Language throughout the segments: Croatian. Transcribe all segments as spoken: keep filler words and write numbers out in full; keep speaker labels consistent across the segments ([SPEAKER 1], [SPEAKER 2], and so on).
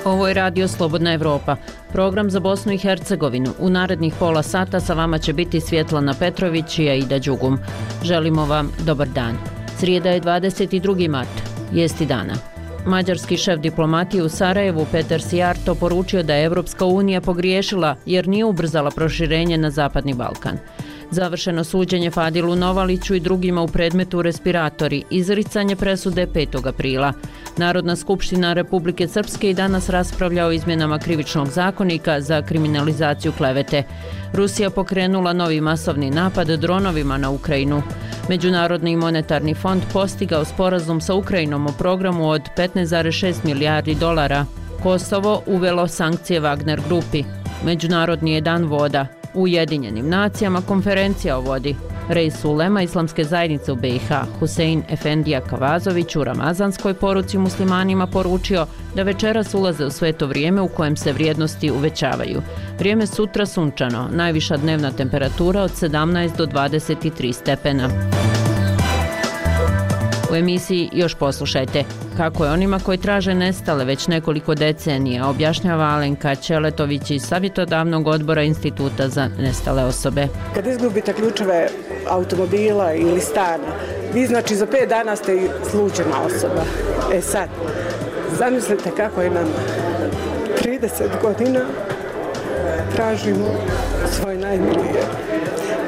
[SPEAKER 1] Ovo je Radio Slobodna Evropa, program za Bosnu i Hercegovinu. U narednih pola sata sa vama će biti Svjetlana Petrović i Aida Đugum. Želimo vam dobar dan. Srijeda je dvadeset drugi mart, vijesti dana. Mađarski šef diplomatije u Sarajevu Petar Sijarto poručio da je Evropska unija pogriješila jer nije ubrzala proširenje na Zapadni Balkan. Završeno suđenje Fadilu Novaliću i drugima u predmetu respiratori, izricanje presude petog aprila. Narodna skupština Republike Srpske i danas raspravlja o izmjenama krivičnog zakonika za kriminalizaciju klevete. Rusija pokrenula novi masovni napad dronovima na Ukrajinu. Međunarodni monetarni fond postigao sporazum sa Ukrajinom o programu od petnaest zarez šest milijardi dolara. Kosovo uvelo sankcije Wagner grupi. Međunarodni je dan voda. U Ujedinjenim nacijama konferencija o vodi. Reis ulema Islamske zajednice u B i H Husein Efendija Kavazović u ramazanskoj poruci muslimanima poručio da večeras ulaze u sveto vrijeme u kojem se vrijednosti uvećavaju. Vrijeme sutra sunčano, najviša dnevna temperatura od sedamnaest do dvadeset tri stepena. U emisiji još poslušajte kako je onima koji traže nestale već nekoliko decenija, objašnjava Alenka Ćeletović iz savjetodavnog odbora Instituta za nestale osobe.
[SPEAKER 2] Kad izgubite ključeve automobila ili stana, vi znači za pet dana ste slučajna osoba. E sad, zamislite kako je nam trideset godina tražimo svoje najmilije.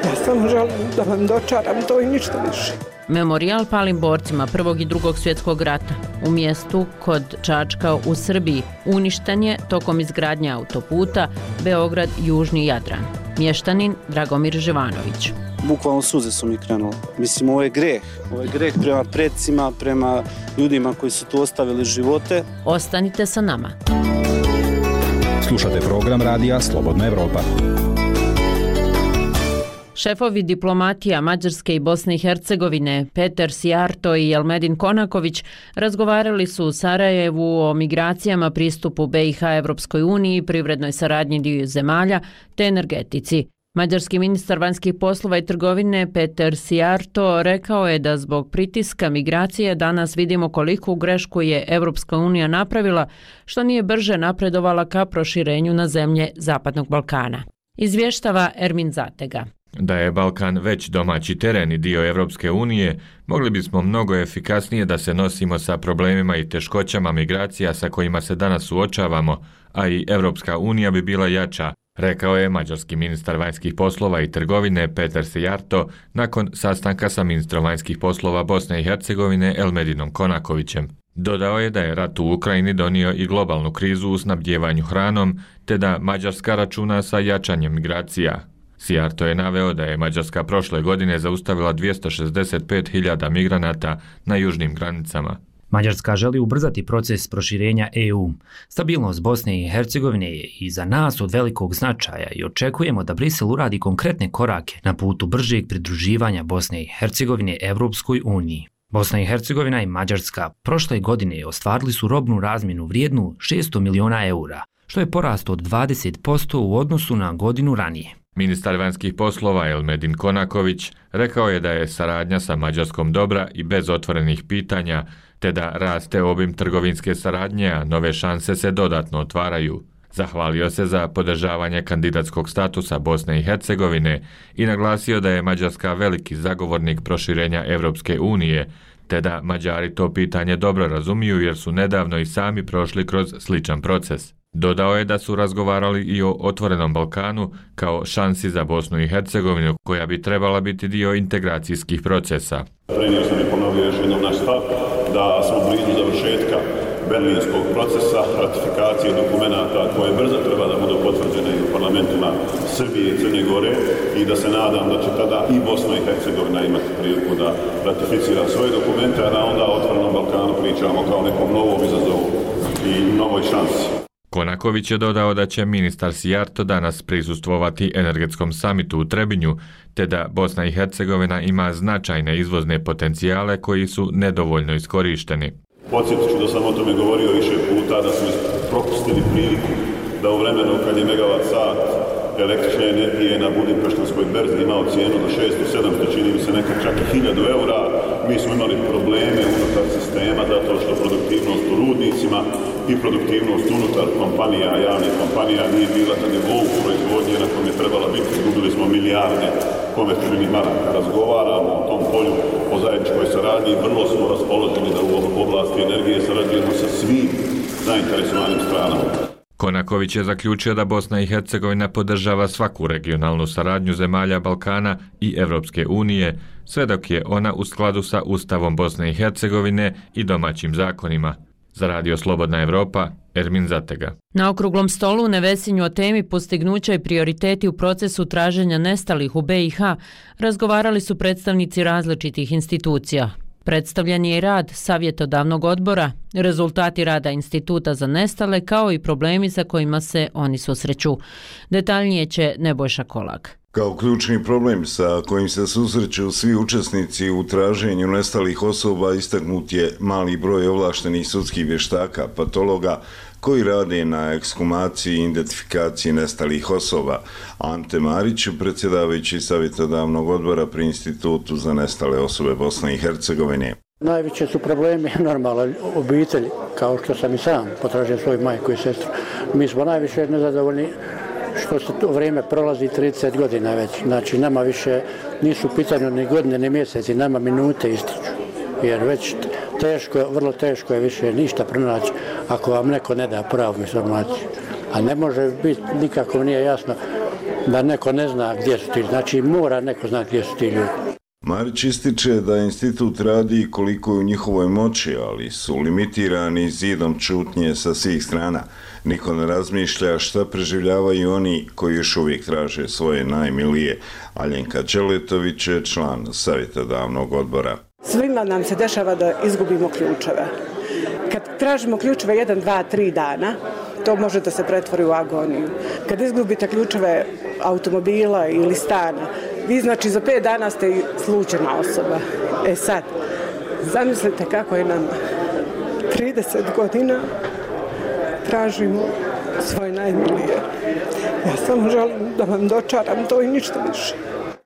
[SPEAKER 2] Ja samo želim da vam dočaram to i ništa više.
[SPEAKER 1] Memorijal palim borcima Prvog i Drugog svjetskog rata u mjestu kod Čačka u Srbiji uništen je tokom izgradnje autoputa Beograd-Južni Jadran. Mještanin Dragomir Živanović.
[SPEAKER 3] Bukvalno suze su mi krenule. Mislim, ovo je greh. Ovo je greh prema predsima, prema ljudima koji su tu ostavili živote.
[SPEAKER 1] Ostanite sa nama.
[SPEAKER 4] Slušate program Radija Slobodna Evropa.
[SPEAKER 1] Šefovi diplomatija Mađarske i Bosne i Hercegovine Petar Sijarto i Elmedin Konaković razgovarali su u Sarajevu o migracijama, pristupu B i H Evropskoj uniji, privrednoj saradnji dviju zemalja te energetici. Mađarski ministar vanjskih poslova i trgovine Petar Sijarto rekao je da zbog pritiska migracije danas vidimo koliku grešku je Evropska unija napravila što nije brže napredovala ka proširenju na zemlje Zapadnog Balkana. Izvještava Ermin Zatega.
[SPEAKER 5] Da je Balkan već domaći teren i dio Evropske unije, mogli bismo mnogo efikasnije da se nosimo sa problemima i teškoćama migracija sa kojima se danas suočavamo, a i Evropska unija bi bila jača, rekao je mađarski ministar vanjskih poslova i trgovine Petar Sijarto nakon sastanka sa ministrom vanjskih poslova Bosne i Hercegovine Elmedinom Konakovićem. Dodao je da je rat u Ukrajini donio i globalnu krizu u snabdjevanju hranom, te da Mađarska računa sa jačanjem migracija. Sijarto je naveo da je Mađarska prošle godine zaustavila dvjesto šezdeset pet hiljada migranata na južnim granicama.
[SPEAKER 6] Mađarska želi ubrzati proces proširenja E U. Stabilnost Bosne i Hercegovine je i za nas od velikog značaja i očekujemo da Brisel uradi konkretne korake na putu bržeg pridruživanja Bosne i Hercegovine Evropskoj uniji. Bosna i Hercegovina i Mađarska prošle godine ostvarili su robnu razmjenu vrijednu šesto miliona eura, što je porast od dvadeset posto u odnosu na godinu ranije.
[SPEAKER 5] Ministar vanjskih poslova Elmedin Konaković rekao je da je saradnja sa Mađarskom dobra i bez otvorenih pitanja, te da raste obim trgovinske saradnje, a nove šanse se dodatno otvaraju. Zahvalio se za podržavanje kandidatskog statusa Bosne i Hercegovine i naglasio da je Mađarska veliki zagovornik proširenja Evropske unije, te da Mađari to pitanje dobro razumiju jer su nedavno i sami prošli kroz sličan proces. Dodao je da su razgovarali i o otvorenom Balkanu kao šansi za Bosnu i Hercegovinu koja bi trebala biti dio integracijskih procesa.
[SPEAKER 7] Prenio sam i ponovio još jednom naš stav da smo blizu završetka berlinskog procesa, ratifikacije dokumenata koje brzo treba da budu potvrđene u parlamentima Srbije i Crne Gore i da se nadam da će tada i Bosna i Hercegovina imati priliku da ratificira svoje dokumente, a da onda o otvorenom Balkanu pričamo kao nekom novom izazovu i novoj šansi.
[SPEAKER 5] Konaković je dodao da će ministar Sijarto danas prisustvovati energetskom samitu u Trebinju, te da Bosna i Hercegovina ima značajne izvozne potencijale koji su nedovoljno iskorišteni.
[SPEAKER 7] Podsjetit ću da sam o tome govorio više puta, da smo propustili priliku da u vremenu kad je megavat sat električne energije na Budimpeštanskoj berzi imao cijenu do šesto sedamsto, čini mi se nekad čak i hiljadu eura. Mi smo imali probleme unutar sistema zato što produktivnost u rudnicima i produktivnost unutar kompanija, javnih kompanija nije bila na nivou proizvodnje na kojem je trebala biti. Izgubili smo milijarde konvertibilnih maraka. Razgovaramo o tom polju, o zajedničkoj saradnji i vrlo smo raspoloženi da u oblasti energije sarađujemo sa svim zainteresovanim stranama.
[SPEAKER 5] Konaković je zaključio da Bosna i Hercegovina podržava svaku regionalnu saradnju zemalja Balkana i Evropske unije, sve dok je ona u skladu sa Ustavom Bosne i Hercegovine i domaćim zakonima. Za Radio Slobodna Evropa, Ermin Zatega.
[SPEAKER 1] Na okruglom stolu u Nevesinju o temi postignuća i prioriteti u procesu traženja nestalih u be i ha razgovarali su predstavnici različitih institucija. Predstavljen je i rad savjetodavnog odbora, rezultati rada Instituta za nestale kao i problemi sa kojima se oni susreću. Detaljnije će Nebojša Kolak.
[SPEAKER 8] Kao ključni problem sa kojim se susreću svi učesnici u traženju nestalih osoba istaknut je mali broj ovlaštenih sudskih vještaka, patologa, koji rade na ekshumaciji i identifikaciji nestalih osoba. Ante Marić, predsjedavajući savjetodavnog odbora pri Institutu za nestale osobe Bosne i Hercegovine.
[SPEAKER 9] Najveće su problemi normalno obitelji, kao što sam i sam potražio svoju majku i sestru. Mi smo najviše nezadovoljni što se to vrijeme prolazi trideset godina već. Znači, nama više nisu u pitanju ni godine, ni mjeseci, nama minute ističu. Jer već teško, vrlo teško je više ništa pronaći ako vam neko ne da pravu informaciju. A ne može biti, nikako nije jasno da neko ne zna gdje su ti. Znači, mora neko zna gdje su ti ljudi.
[SPEAKER 8] Marić ističe da institut radi koliko je u njihovoj moći, ali su limitirani zidom čutnje sa svih strana. Niko ne razmišlja šta preživljavaju oni koji još uvijek traže svoje najmilije. Aljenka Čeletović je član savjetodavnog odbora.
[SPEAKER 2] Svima nam se dešava da izgubimo ključeve. Kad tražimo ključeve jedan, dva, tri dana, to može da se pretvori u agoniju. Kad izgubite ključeve automobila ili stana, vi znači za pet dana ste slučajna osoba. E sad, zamislite kako je nam trideset godina tražimo svoje najmilije. Ja samo želim da vam dočaram to i ništa više.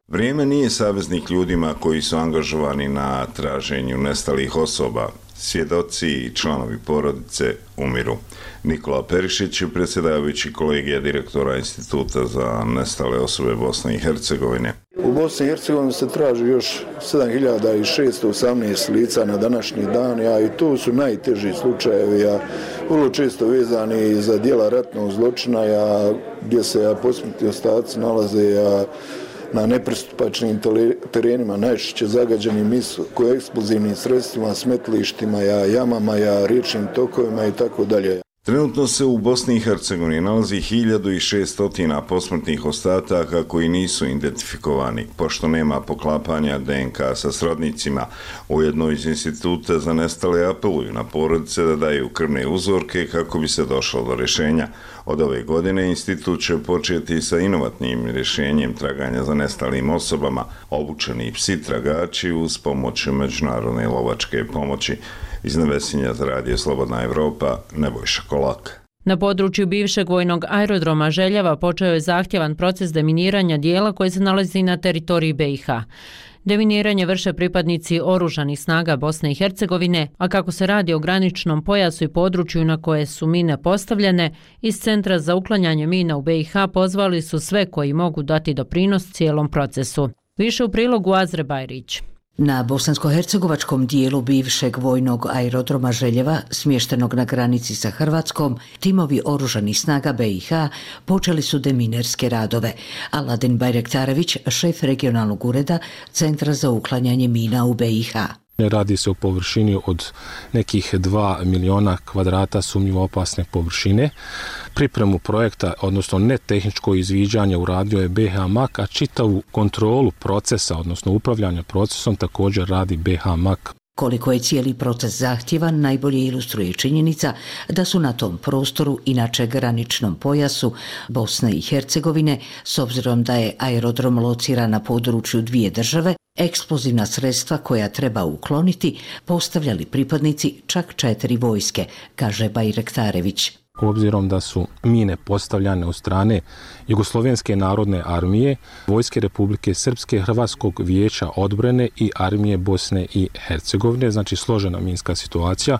[SPEAKER 8] Vrijeme nije saveznik ljudima koji su angažovani na traženju nestalih osoba. Svjedoci i članovi porodice umiru. Nikola Perišić, predsjedavajući kolegija direktora Instituta za nestale osobe Bosne i Hercegovine.
[SPEAKER 10] U Bosni i Hercegovini se traži još sedam hiljada šesto osamnaest lica na današnji dan, a i to su najteži slučajevi, a vrlo često vezani za djela ratnog zločina, a gdje se a posmrtni ostaci nalaze a na nepristupačnim terenima, najčešće zagađenim eksplozivnim sredstvima, smetlištima, jamama, riječnim tokovima i tako dalje.
[SPEAKER 8] Trenutno se u Bosni i Hercegovini nalazi hiljadu šesto posmrtnih ostataka koji nisu identifikovani, pošto nema poklapanja de en ka sa srodnicima. Ujedno iz Instituta za nestale apeluju na porodice da daju krvne uzorke kako bi se došlo do rješenja. Od ove godine institut će početi sa inovatnim rješenjem traganja za nestalim osobama, obučeni psi tragači uz pomoć međunarodne lovačke pomoći. Iz Nevesinja za Radio Slobodna Evropa, Nebojša Kolak.
[SPEAKER 1] Na području bivšeg vojnog aerodroma Željava počeo je zahtjevan proces deminiranja dijela koje se nalazi na teritoriji be i ha. Deminiranje vrše pripadnici oružanih snaga Bosne i Hercegovine, a kako se radi o graničnom pojasu i području na koje su mine postavljene, iz Centra za uklanjanje mina u be i ha pozvali su sve koji mogu dati doprinos cijelom procesu. Više u prilogu Azre Bajrić.
[SPEAKER 11] Na bosansko-hercegovačkom dijelu bivšeg vojnog aerodroma Željeva, smještenog na granici sa Hrvatskom, timovi oružanih snaga be i ha počeli su deminerske radove. Aladin Bajrektarević, šef regionalnog ureda Centra za uklanjanje mina u be i ha.
[SPEAKER 12] Radi se o površini od nekih dva miliona kvadrata sumnjivo opasne površine. Pripremu projekta, odnosno ne tehničko izviđanje, uradio je be ha mak, a čitavu kontrolu procesa, odnosno upravljanja procesom, također radi be ha mak.
[SPEAKER 11] Koliko je cijeli proces zahtjevan, najbolje ilustruje činjenica da su na tom prostoru, inače graničnom pojasu Bosne i Hercegovine, s obzirom da je aerodrom lociran na području dvije države, eksplozivna sredstva koja treba ukloniti postavljali pripadnici čak četiri vojske, kaže Bajrektarević.
[SPEAKER 12] obzirom da su mine postavljane od strane Jugoslovenske narodne armije, Vojske Republike Srpske, Hrvatskog vijeća odbrane i Armije Bosne i Hercegovine, znači složena minska situacija.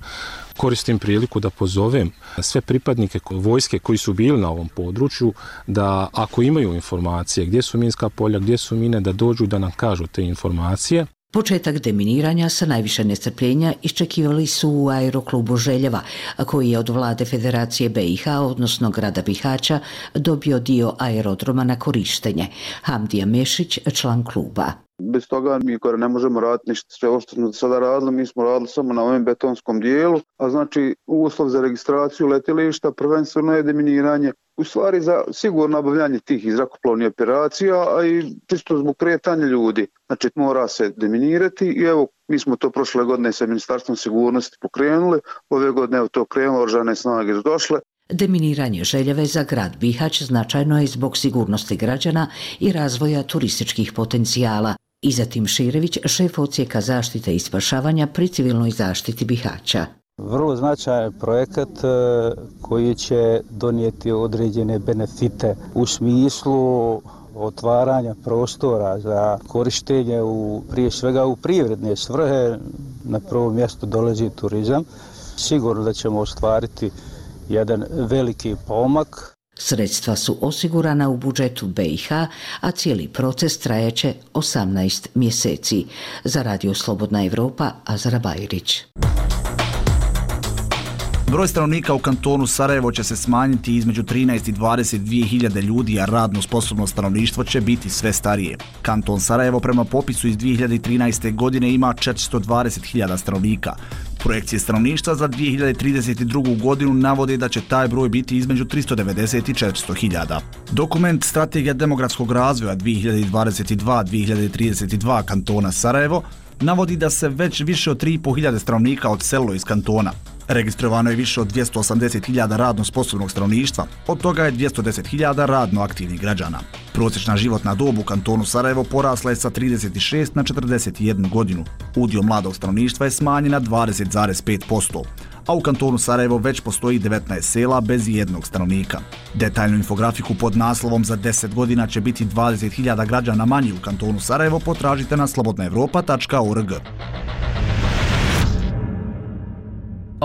[SPEAKER 12] Koristim priliku da pozovem sve pripadnike vojske koji su bili na ovom području da ako imaju informacije gdje su minska polja, gdje su mine, da dođu da nam kažu te informacije.
[SPEAKER 11] Početak deminiranja sa najviše nestrpljenja iščekivali su u aeroklubu Željeva, koji je od vlade Federacije B i H, odnosno grada Bihaća, dobio dio aerodroma na korištenje. Hamdija Mešić, član kluba.
[SPEAKER 13] Bez toga mi gore ne možemo raditi ništa. Sve ovo što smo sada radili, mi smo radili samo na ovom betonskom dijelu, a znači uslov za registraciju letjelišta prvenstveno je deminiranje. U stvari za sigurno obavljanje tih zrakoplovnih operacija, a i čisto zbog kretanja ljudi. Znači mora se deminirati i evo mi smo to prošle godine sa Ministarstvom sigurnosti pokrenuli, ove godine evo to krenulo, oružane snage su došle.
[SPEAKER 11] Deminiranje Željeve za grad Bihać značajno je zbog sigurnosti građana i razvoja turističkih potencijala. Izatim Širević, šef odsjeka zaštite i spašavanja pri civilnoj zaštiti Bihaća.
[SPEAKER 14] Vrlo značajan projekat koji će donijeti određene benefite u smislu otvaranja prostora za korištenje u, prije svega u privredne svrhe. Na prvo mjesto dolazi turizam. Sigurno da ćemo ostvariti jedan veliki pomak.
[SPEAKER 11] Sredstva su osigurana u budžetu B i H, a cijeli proces trajeće osamnaest mjeseci. Za Radio Slobodna Evropa, Azra Bajrić.
[SPEAKER 15] Broj stanovnika u kantonu Sarajevo će se smanjiti između trinaest i dvadeset dvije hiljade ljudi, a radno sposobno stanovništvo će biti sve starije. Kanton Sarajevo prema popisu iz dvije hiljade trinaeste. godine ima četiristo dvadeset hiljada stanovnika. Projekcije stanovništva za dvije hiljade trideset drugu. godinu navode da će taj broj biti između tristo devedeset i četiristo hiljada. Dokument Strategija demografskog razvoja dvije hiljade dvadeset dva do dvije hiljade trideset dva kantona Sarajevo navodi da se već više od tri i pol hiljade stanovnika odselilo iz kantona. Registrovano je više od dvjesto osamdeset hiljada radno sposobnog stanovništva, od toga je dvjesto deset hiljada radno aktivnih građana. Prosječna životna dob u kantonu Sarajevo porasla je sa trideset šest na četrdeset jednu godinu. Udio mladog stanovništva je smanjen na dvadeset zarez pet posto, a u kantonu Sarajevo već postoji devetnaest sela bez jednog stanovnika. Detaljnu infografiku pod naslovom za deset godina će biti dvadeset hiljada građana manje u kantonu Sarajevo potražite na slobodna evropa tačka org.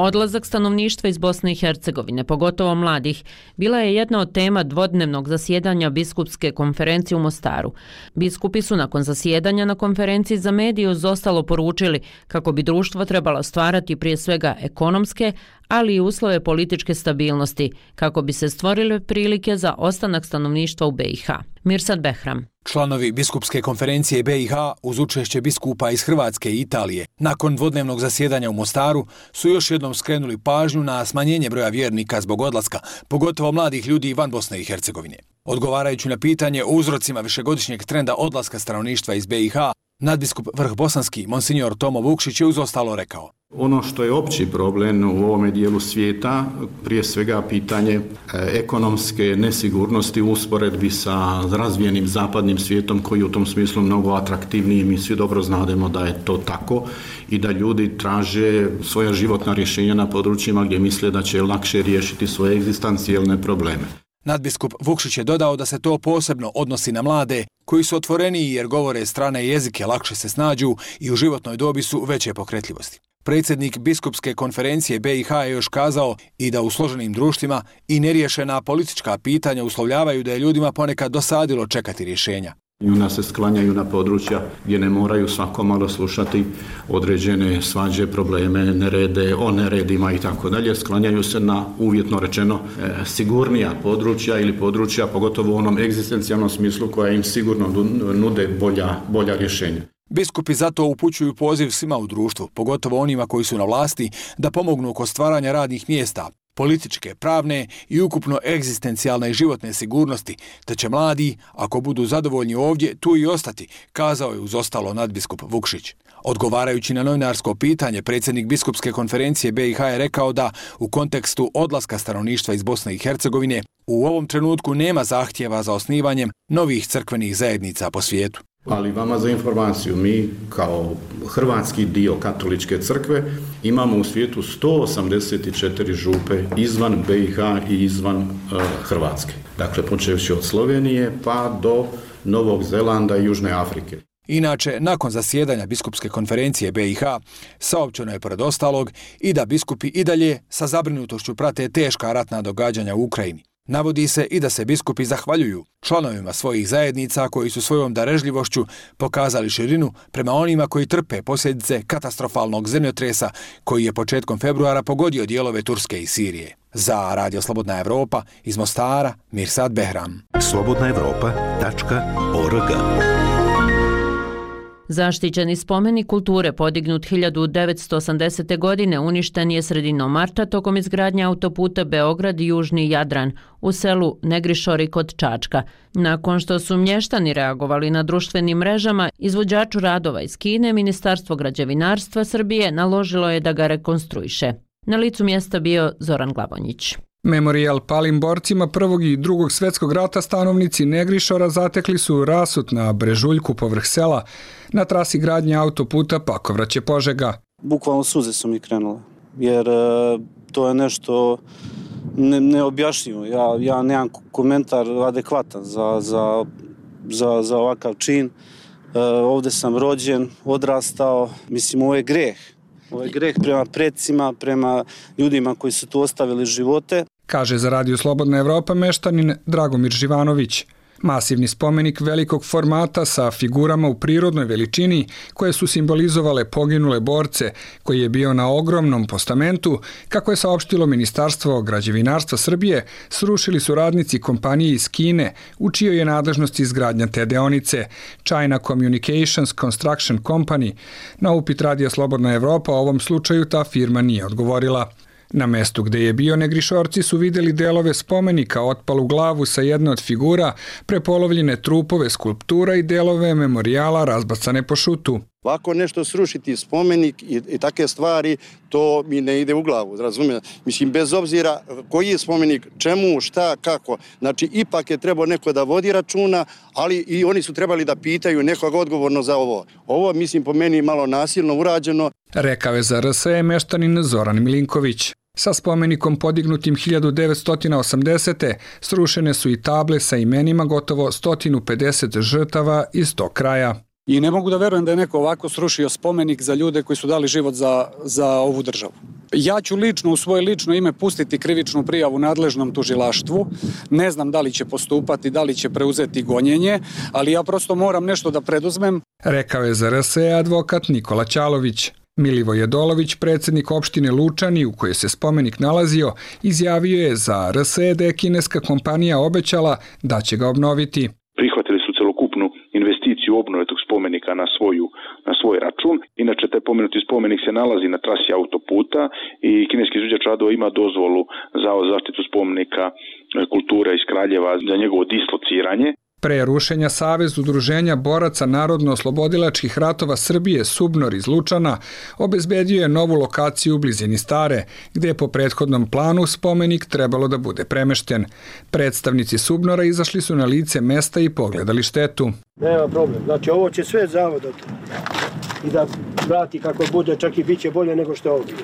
[SPEAKER 1] Odlazak stanovništva iz Bosne i Hercegovine, pogotovo mladih, bila je jedna od tema dvodnevnog zasjedanja biskupske konferencije u Mostaru. Biskupi su nakon zasjedanja na konferenciji za medije uz ostalo poručili kako bi društvo trebalo stvarati prije svega ekonomske, ali i uslove političke stabilnosti, kako bi se stvorile prilike za ostanak stanovništva u B i H. Mirsad Behram.
[SPEAKER 16] Članovi biskupske konferencije B i H uz učešće biskupa iz Hrvatske i Italije nakon dvodnevnog zasjedanja u Mostaru su još jednom skrenuli pažnju na smanjenje broja vjernika zbog odlaska, pogotovo mladih ljudi van Bosne i Hercegovine. Odgovarajući na pitanje o uzrocima višegodišnjeg trenda odlaska stanovništva iz B i H, nadbiskup Vrhbosanski, monsignor Tomo Vukšić je uz ostalo rekao:
[SPEAKER 17] Ono što je opći problem u ovome dijelu svijeta, prije svega pitanje ekonomske nesigurnosti u usporedbi sa razvijenim zapadnim svijetom koji je u tom smislu mnogo atraktivniji. Mi svi dobro znademo da je to tako i da ljudi traže svoja životna rješenja na područjima gdje misle da će lakše riješiti svoje egzistencijalne probleme.
[SPEAKER 16] Nadbiskup Vukšić je dodao da se to posebno odnosi na mlade, koji su otvoreniji jer govore strane jezike, lakše se snađu i u životnoj dobi su veće pokretljivosti. Predsjednik biskupske konferencije B i H je još kazao i da u složenim društvima i neriješena politička pitanja uslovljavaju da je ljudima ponekad dosadilo čekati rješenja.
[SPEAKER 17] I onda se sklanjaju na područja gdje ne moraju svako malo slušati određene svađe, probleme, nerede, o neredima i tako dalje. Sklanjaju se na, uvjetno rečeno, e, sigurnija područja ili područja, pogotovo u onom egzistencijalnom smislu koja im sigurno nude bolja, bolja rješenja.
[SPEAKER 16] Biskupi zato upućuju poziv svima u društvu, pogotovo onima koji su na vlasti, da pomognu oko stvaranja radnih mjesta, političke, pravne i ukupno egzistencijalne i životne sigurnosti, te će mladi, ako budu zadovoljni ovdje, tu i ostati, kazao je uz ostalo nadbiskup Vukšić. Odgovarajući na novinarsko pitanje, predsjednik biskupske konferencije B i H je rekao da u kontekstu odlaska stanovništva iz Bosne i Hercegovine u ovom trenutku nema zahtjeva za osnivanjem novih crkvenih zajednica po svijetu.
[SPEAKER 17] Ali vama za informaciju, mi kao hrvatski dio katoličke crkve imamo u svijetu sto osamdeset četiri župe izvan B i H i izvan uh, Hrvatske. Dakle, počevši od Slovenije pa do Novog Zelanda i Južne Afrike.
[SPEAKER 16] Inače, nakon zasjedanja biskupske konferencije B i H, saopćeno je pored ostalog i da biskupi i dalje sa zabrinutošću prate teška ratna događanja u Ukrajini. Navodi se i da se biskupi zahvaljuju članovima svojih zajednica koji su svojom darežljivošću pokazali širinu prema onima koji trpe posljedice katastrofalnog zemljotresa koji je početkom februara pogodio dijelove Turske i Sirije. Za Radio Slobodna Evropa iz Mostara, Mirsad Behram.
[SPEAKER 18] slobodna evropa tačka org.
[SPEAKER 1] Zaštićeni spomenik kulture podignut hiljadu devetsto osamdesete. godine uništen je sredinom marta tokom izgradnje autoputa Beograd-Južni Jadran u selu Negrišori kod Čačka. Nakon što su mještani reagovali na društvenim mrežama, izvođaču radova iz Kine Ministarstvo građevinarstva Srbije naložilo je da ga rekonstruiše. Na licu mjesta bio Zoran Glavonjić.
[SPEAKER 19] Memorijal palim borcima Prvog i Drugog svjetskog rata stanovnici Negrišora zatekli su rasut na brežuljku povrh sela na trasi gradnje autoputa Pakovraće-Požega.
[SPEAKER 3] Bukvalno suze su mi krenule, jer e, to je nešto ne, neobjašnjivo. Ja, ja nemam komentar adekvatan za, za, za, za ovakav čin. E, ovdje sam rođen, odrastao, mislim ovo je greh. Ovo je greh prema predsima, prema ljudima koji su tu ostavili živote.
[SPEAKER 19] Kaže za Radio Slobodna Evropa meštanin Dragomir Živanović. Masivni spomenik velikog formata sa figurama u prirodnoj veličini koje su simbolizovale poginule borce, koji je bio na ogromnom postamentu, kako je saopštilo Ministarstvo građevinarstva Srbije, srušili su radnici kompanije iz Kine, u čijoj je nadležnosti izgradnja te deonice, China Communications Construction Company. Na upit Radio Slobodna Evropa o ovom slučaju ta firma nije odgovorila. Na mestu gde je bio Negrišorci su vidjeli delove spomenika, otpalu glavu sa jedne od figura, prepolovljene trupove skulptura i delove memorijala razbacane po šutu.
[SPEAKER 20] Ovako nešto srušiti spomenik i, i take stvari, to mi ne ide u glavu, razumijem. Mislim, bez obzira koji je spomenik, čemu, šta, kako. Znači, ipak je trebao neko da vodi računa, ali i oni su trebali da pitaju nekog odgovorno za ovo. Ovo, mislim, po meni malo nasilno urađeno.
[SPEAKER 19] Rekao je za R S E meštanin Zoran Milinković. Sa spomenikom podignutim hiljadu devetsto osamdesete. srušene su i table sa imenima gotovo sto pedeset žrtava iz tog kraja.
[SPEAKER 21] I ne mogu da verujem da je neko ovako srušio spomenik za ljude koji su dali život za, za ovu državu. Ja ću lično u svoje lično ime pustiti krivičnu prijavu nadležnom tužilaštvu. Ne znam da li će postupati, da li će preuzeti gonjenje, ali ja prosto moram nešto da preduzmem.
[SPEAKER 19] Rekao je za R S E advokat Nikola Ćalović. Milivoj Jedolović, predsjednik opštine Lučani u kojoj se spomenik nalazio, izjavio je za R S E da je kineska kompanija obećala da će ga obnoviti.
[SPEAKER 22] Prihvatili su celokupnu investiciju obnove tog spomenika na, svoju, na svoj račun. Inače, taj pomenuti spomenik se nalazi na trasi autoputa i kineski izvođač radova ima dozvolu za zaštitu spomenika kulture iz Kraljeva za njegovo dislociranje.
[SPEAKER 19] Pre rušenja Savez udruženja boraca narodno-oslobodilačkih ratova Srbije Subnor iz Lučana obezbedio je novu lokaciju u blizini Stare, gdje je po prethodnom planu spomenik trebalo da bude premešten. Predstavnici Subnora izašli su na lice mesta i pogledali štetu.
[SPEAKER 23] Nema problem, znači ovo će sve zavodati i da vrati kako bude, čak i bit će bolje nego što je ovdje.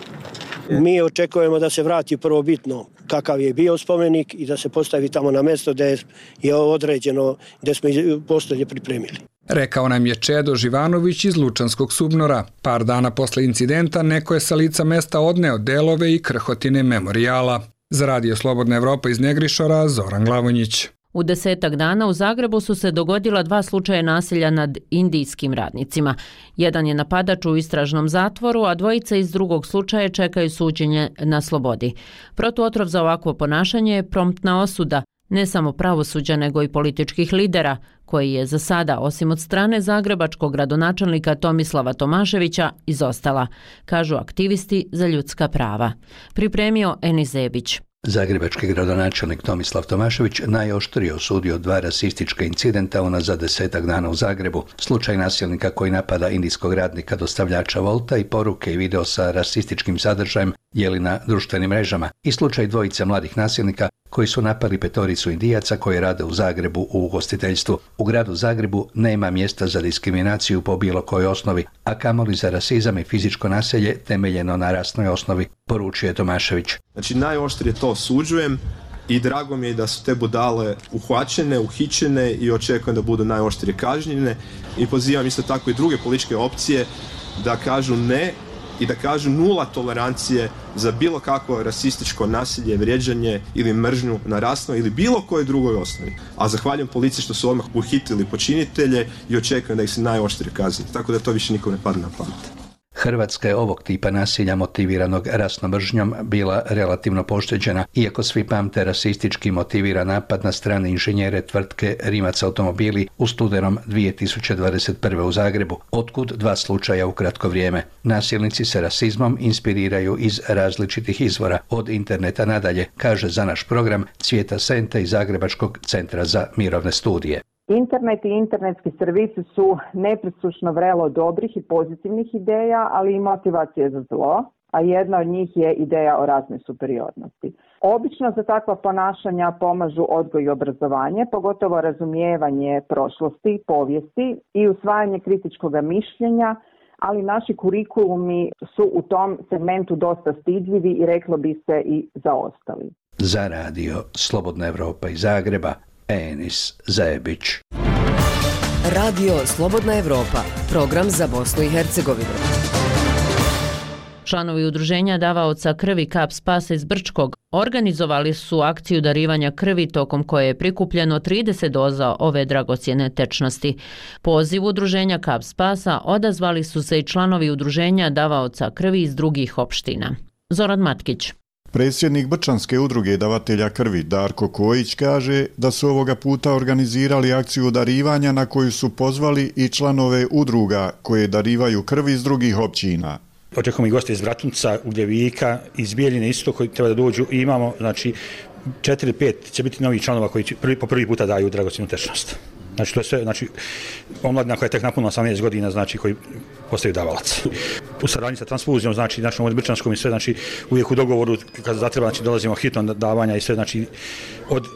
[SPEAKER 23] Mi očekujemo da se vrati prvobitno kakav je bio spomenik i da se postavi tamo na mjesto gdje je određeno, gdje smo postolje pripremili.
[SPEAKER 19] Rekao nam je Čedo Živanović iz Lučanskog Subnora. Par dana posle incidenta neko je sa lica mesta odneo delove i krhotine memorijala. Za Radio Slobodna Evropa iz Negrišora, Zoran Glavonjić.
[SPEAKER 1] U desetak dana u Zagrebu su se dogodila dva slučaja nasilja nad indijskim radnicima. Jedan je napadač u istražnom zatvoru, a dvojica iz drugog slučaja čekaju suđenje na slobodi. Protuotrov za ovakvo ponašanje je promptna osuda, ne samo pravosuđa nego i političkih lidera, koji je za sada, osim od strane zagrebačkog gradonačelnika Tomislava Tomaševića, izostala, kažu aktivisti za ljudska prava. Pripremio Enis Zebić.
[SPEAKER 24] Zagrebački gradonačelnik Tomislav Tomašević najoštrije osudio dva rasistička incidenta unazad desetak dana u Zagrebu. Slučaj nasilnika koji napada indijskog radnika dostavljača Volta i poruke i video sa rasističkim sadržajem dijeli na društvenim mrežama i slučaj dvojice mladih nasilnika koji su napali petoricu Indijaca koji rade u Zagrebu u ugostiteljstvu. U gradu Zagrebu nema mjesta za diskriminaciju po bilo kojoj osnovi, a kamoli za rasizam i fizičko nasilje temeljeno na rasnoj osnovi, poručuje Tomašević.
[SPEAKER 4] Znači najoštrije to osuđujem i drago mi je da su te budale uhvaćene, uhićene i očekujem da budu najoštrije kažnjene i pozivam isto tako i druge političke opcije da kažu ne i da kažu nula tolerancije za bilo kakvo rasističko nasilje, vrijeđanje ili mržnju na rasnoj ili bilo kojoj drugoj osnovi. A zahvaljujem policiji što su odmah uhitili počinitelje i očekujem da ih se najoštrije kazni. Tako da to više nikom ne padne na pamet.
[SPEAKER 24] Hrvatska je ovog tipa nasilja motiviranog rasnom mržnjom bila relativno pošteđena, iako svi pamte rasistički motiviran napad na strane inženjere tvrtke Rimac automobili u studenom dvije tisuće dvadeset prve. u Zagrebu, otkud dva slučaja u kratko vrijeme. Nasilnici se rasizmom inspiriraju iz različitih izvora, od interneta nadalje, kaže za naš program Cvijeta Sente iz Zagrebačkog centra za mirovne studije.
[SPEAKER 5] Internet i internetski servisi su nepresušno vrelo dobrih i pozitivnih ideja, ali i motivacije za zlo, a jedna od njih je ideja o raznoj superiornosti. Obično za takva ponašanja pomažu odgoj i obrazovanje, pogotovo razumijevanje prošlosti, povijesti i usvajanje kritičkog mišljenja, ali naši kurikulumi su u tom segmentu dosta stidljivi i reklo bi se i zaostali.
[SPEAKER 24] Za radio Slobodna Evropa iz Zagreba, Enis Zajebić.
[SPEAKER 6] Radio Slobodna Evropa, program za Bosnu i Hercegovinu.
[SPEAKER 1] Članovi udruženja davaoca krvi Kap Spasa iz Brčkog organizovali su akciju darivanja krvi tokom koje je prikupljeno trideset doza ove dragocjene tečnosti. Poziv udruženja Kap Spasa odazvali su se i članovi udruženja davaoca krvi iz drugih opština. Zoran Matkić.
[SPEAKER 7] Predsjednik Brčanske udruge davatelja krvi Darko Kojić kaže da su ovoga puta organizirali akciju darivanja na koju su pozvali i članove udruga koje darivaju krvi iz drugih općina.
[SPEAKER 25] Očekujemo i goste iz Vratunca, Ugljevika, iz Bijeljine isto koji treba da dođu i imamo, znači, četiri pet će biti novih članova koji će prvi, po prvi puta daju dragocjenu tečnost. Znači, to je sve, znači, omladina koja je tek napunila osamnaest godina, znači, koji postaju davalac. U saradnji sa transfuzijom, znači, našom od Brčanskom i sve, znači, uvijek u dogovoru, kad zatreba, znači, dolazimo hitno davanja i sve, znači, od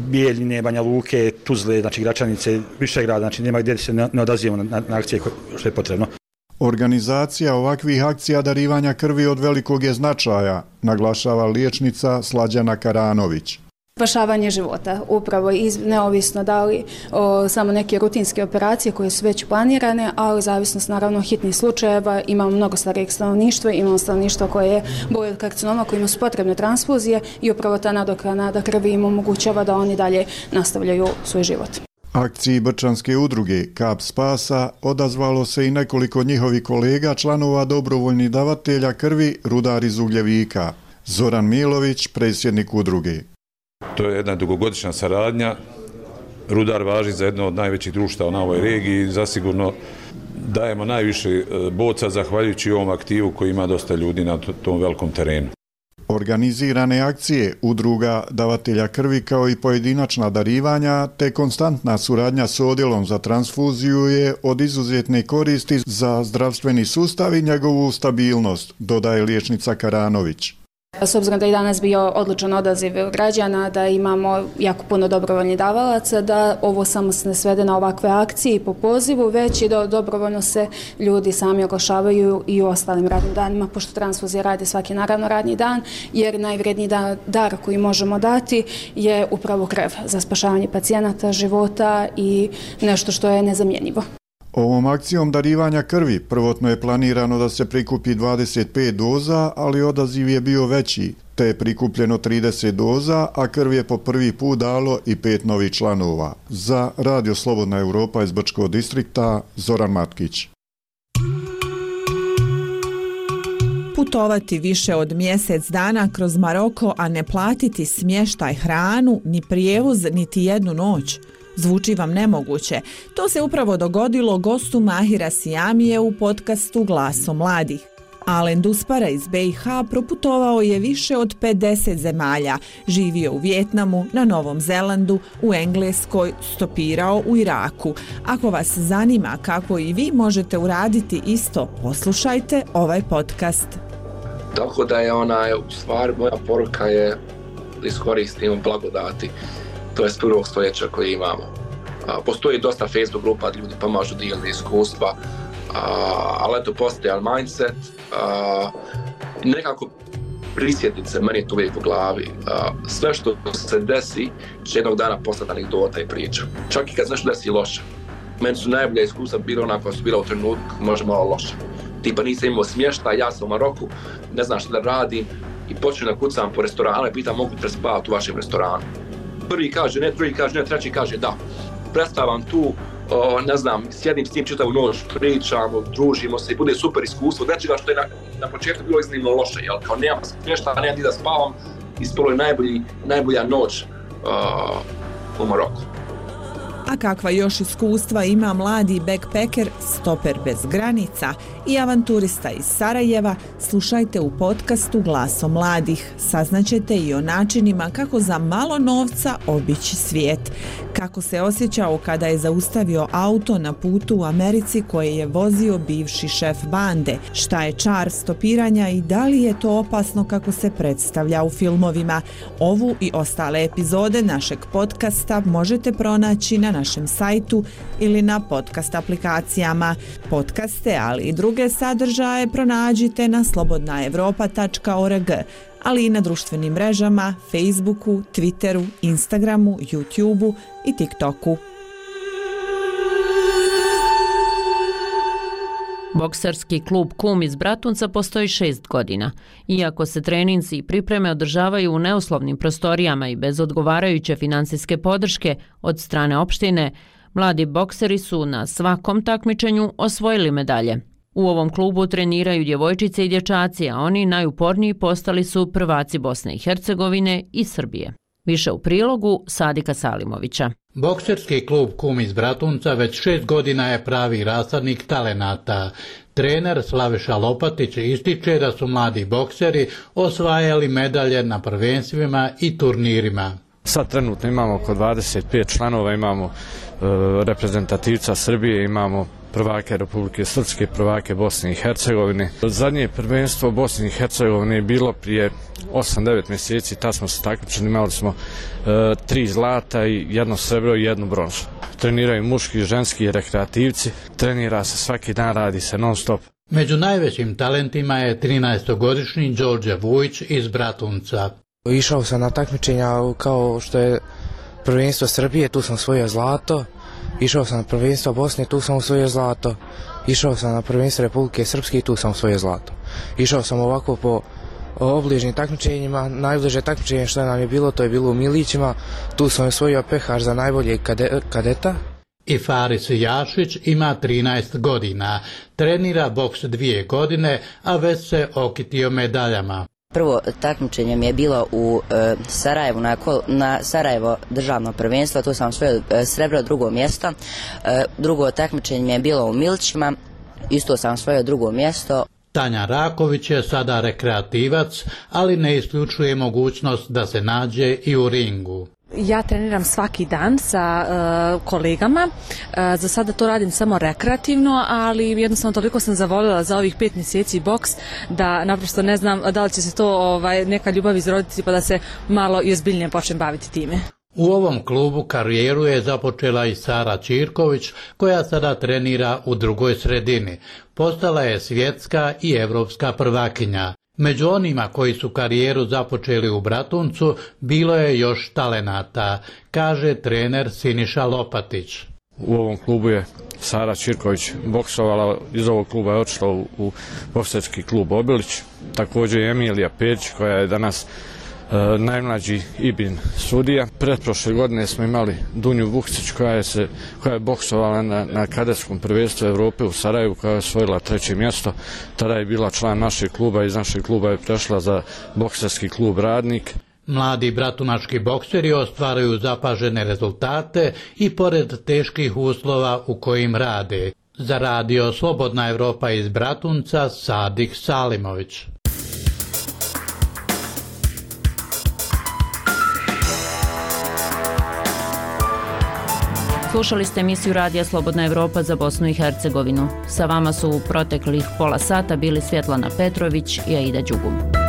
[SPEAKER 25] Bijeljine, Banja Luke, Tuzle, znači, Gračanice, Višegrada, znači, nema gdje se ne, ne odazivamo na, na akcije što je potrebno.
[SPEAKER 7] Organizacija ovakvih akcija darivanja krvi od velikog je značaja, naglašava liječnica Slađana Karanović.
[SPEAKER 26] Spašavanje života, upravo iz, neovisno da li o, samo neke rutinske operacije koje su već planirane, ali zavisnost naravno hitnih slučajeva, imamo mnogo starijeg stanovništva, imamo stanovništvo koje boli od karcinoma, kojima su potrebne transfuzije i upravo ta nadoknada krvi im omogućava da oni dalje nastavljaju svoj život.
[SPEAKER 7] Akciji Brčanske udruge Kap Spasa odazvalo se i nekoliko njihovih kolega, članova dobrovoljnih davatelja krvi, rudar iz Ugljevika. Zoran Milović, predsjednik udruge.
[SPEAKER 27] To je jedna dugogodišnja saradnja. Rudar važi za jedno od najvećih društava na ovoj regiji i zasigurno dajemo najviše boca zahvaljujući ovom aktivu koji ima dosta ljudi na tom velikom terenu.
[SPEAKER 7] Organizirane akcije udruga davatelja krvi kao i pojedinačna darivanja te konstantna suradnja s odjelom za transfuziju je od izuzetne koristi za zdravstveni sustav i njegovu stabilnost, dodaje liječnica Karanović.
[SPEAKER 26] S obzirom da je danas bio odličan odaziv građana, da imamo jako puno dobrovoljnih davalaca, da ovo samo se ne svede na ovakve akcije po pozivu, već i da dobrovoljno se ljudi sami oglašavaju i u ostalim radnim danima, pošto transfuzija radi svaki naravno radni dan, jer najvredniji dar koji možemo dati je upravo krev za spašavanje pacijenata, života i nešto što je nezamjenjivo.
[SPEAKER 7] Ovom akcijom darivanja krvi prvotno je planirano da se prikupi dvadeset pet doza, ali odaziv je bio veći, te je prikupljeno trideset doza, a krv je po prvi put dalo i pet novih članova. Za Radio Slobodna Evropa iz Brčkog distrikta, Zoran Matkić.
[SPEAKER 28] Putovati više od mjesec dana kroz Maroko, a ne platiti smještaj, hranu, ni prijevoz, niti jednu noć. Zvuči vam nemoguće. To se upravo dogodilo gostu Mahira Sijamije u podcastu Glaso mladih. Alen Duspara iz B i H proputovao je više od pedeset zemalja, živio u Vijetnamu, na Novom Zelandu, u Engleskoj, stopirao u Iraku. Ako vas zanima kako i vi možete uraditi isto, poslušajte ovaj podcast.
[SPEAKER 2] Tako da je ona, u stvari, moja poruka je da iskoristimo blagodati, to je s prvog stoljeća koje imamo. A, postoji dosta Facebook grupa, ljudi pomažu dijeliti iskustva, a, ali eto, postoji mindset, a, nekako prisjetiti se, meni je to uvijek u glavi, a, sve što se desi će jednog dana postati anegdota i priča. Čak i kad se nešto desi loše. Meni su najbolja iskustva bila ona koja su bila u trenutku možda malo loše. Tipa nisam imao smještaj, ja sam u Maroku, ne znam što da radim i počnem da kucam po restoranu i pitam mogu te spavati u vašem restoranu. Prvi kaže ne, drugi kaže ne, treći kaže da. Predstavam tu, o, ne znam, sjedim s njim čitavu noć, pričamo, družimo se i bude super iskustvo. Nečega što je na, na početku bilo iznimno loše, jel? Kao nemam smještaja, nemam di da spavam, ispalo je najbolji, najbolja noć o, u Maroku.
[SPEAKER 28] A kakva još iskustva ima mladi backpacker, stoper bez granica i avanturista iz Sarajeva, slušajte u podcastu Glaso mladih. Saznaćete i o načinima kako za malo novca obići svijet. Kako se osjećao kada je zaustavio auto na putu u Americi koje je vozio bivši šef bande. Šta je čar stopiranja i da li je to opasno kako se predstavlja u filmovima. Ovu i ostale epizode našeg podcasta možete pronaći na našem sajtu ili na podcast aplikacijama. Podcaste, ali i druge sadržaje pronađite na slobodna evropa tačka org, ali i na društvenim mrežama, Facebooku, Twitteru, Instagramu, YouTubeu i TikToku.
[SPEAKER 1] Bokserski klub Kum iz Bratunca postoji šest godina. Iako se treninzi i pripreme održavaju u neuslovnim prostorijama i bez odgovarajuće finansijske podrške od strane opštine, mladi bokseri su na svakom takmičenju osvojili medalje. U ovom klubu treniraju djevojčice i dječaci, a oni najuporniji postali su prvaci Bosne i Hercegovine i Srbije. Više u prilogu Sadika Salimovića.
[SPEAKER 8] Bokserski klub Kum iz Bratunca već šest godina je pravi rasadnik talenata. Trener Slaviša Lopatić ističe da su mladi bokseri osvajali medalje na prvenstvima i turnirima.
[SPEAKER 9] Sad trenutno imamo oko dvadeset pet članova, imamo e, reprezentativca Srbije, imamo prvake Republike Srpske, prvake Bosne i Hercegovine. Zadnje prvenstvo Bosne i Hercegovine je bilo prije osam devet mjeseci, tad smo se takmičili, imali smo e, tri zlata i jedno srebro i jednu bronzu. Treniraju muški i ženski rekreativci, trenira se svaki dan, radi se non stop.
[SPEAKER 8] Među najvećim talentima je trinaestogodišnji Đorđe Vujić iz Bratunca.
[SPEAKER 10] Išao sam na takmičenja kao što je prvenstvo Srbije, tu sam osvojio zlato. Išao sam na prvenstvo Bosne, tu sam osvojio zlato. Išao sam na prvenstvo Republike Srpske, tu sam osvojio zlato. Išao sam ovako po obližnim takmičenjima. Najbliže takmičenje što nam je bilo, to je bilo u Milićima. Tu sam osvojio pehar za najboljeg kade, kadeta.
[SPEAKER 8] I Faris Jašić ima trinaest godina. Trenira boks dvije godine, a već se okitio medaljama.
[SPEAKER 11] Prvo takmičenje mi je bilo u e, Sarajevu, na, na Sarajevo državno prvenstvo, tu sam osvojio e, srebro, drugo mjesto. E, drugo takmičenje mi je bilo u Milićima, isto sam osvojio drugo mjesto.
[SPEAKER 8] Tanja Raković je sada rekreativac, ali ne isključuje mogućnost da se nađe i u ringu.
[SPEAKER 12] Ja treniram svaki dan sa uh, kolegama, uh, za sada to radim samo rekreativno, ali jednostavno toliko sam zavolila za ovih pet mjeseci boks da naprosto ne znam da li će se to ovaj, neka ljubav izroditi pa da se malo i ozbiljnije počnem baviti time.
[SPEAKER 8] U ovom klubu karijeru je započela i Sara Čirković, koja sada trenira u drugoj sredini. Postala je svjetska i evropska prvakinja. Među onima koji su karijeru započeli u Bratuncu bilo je još talenata, kaže trener Siniša Lopatić.
[SPEAKER 9] U ovom klubu je Sara Čirković boksovala, iz ovog kluba je otišla u, u bokserski klub Obilić, također je Emilija Perić koja je danas e, najmlađi Ibin sudija. Pretprošle godine smo imali Dunju Vukcić koja je, se, koja je boksovala na, na kadetskom prvenstvu Evrope u Sarajevu, koja je osvojila treće mjesto. Tada je bila član našeg kluba, iz našeg kluba je prešla za bokserski klub Radnik.
[SPEAKER 8] Mladi bratunački bokseri ostvaraju zapažene rezultate i pored teških uslova u kojim rade. Za radio Slobodna Evropa iz Bratunca, Sadik Salimović.
[SPEAKER 1] Slušali ste emisiju Radija Slobodna Evropa za Bosnu i Hercegovinu. Sa vama su u proteklih pola sata bili Svjetlana Petrović i Aida Đugum.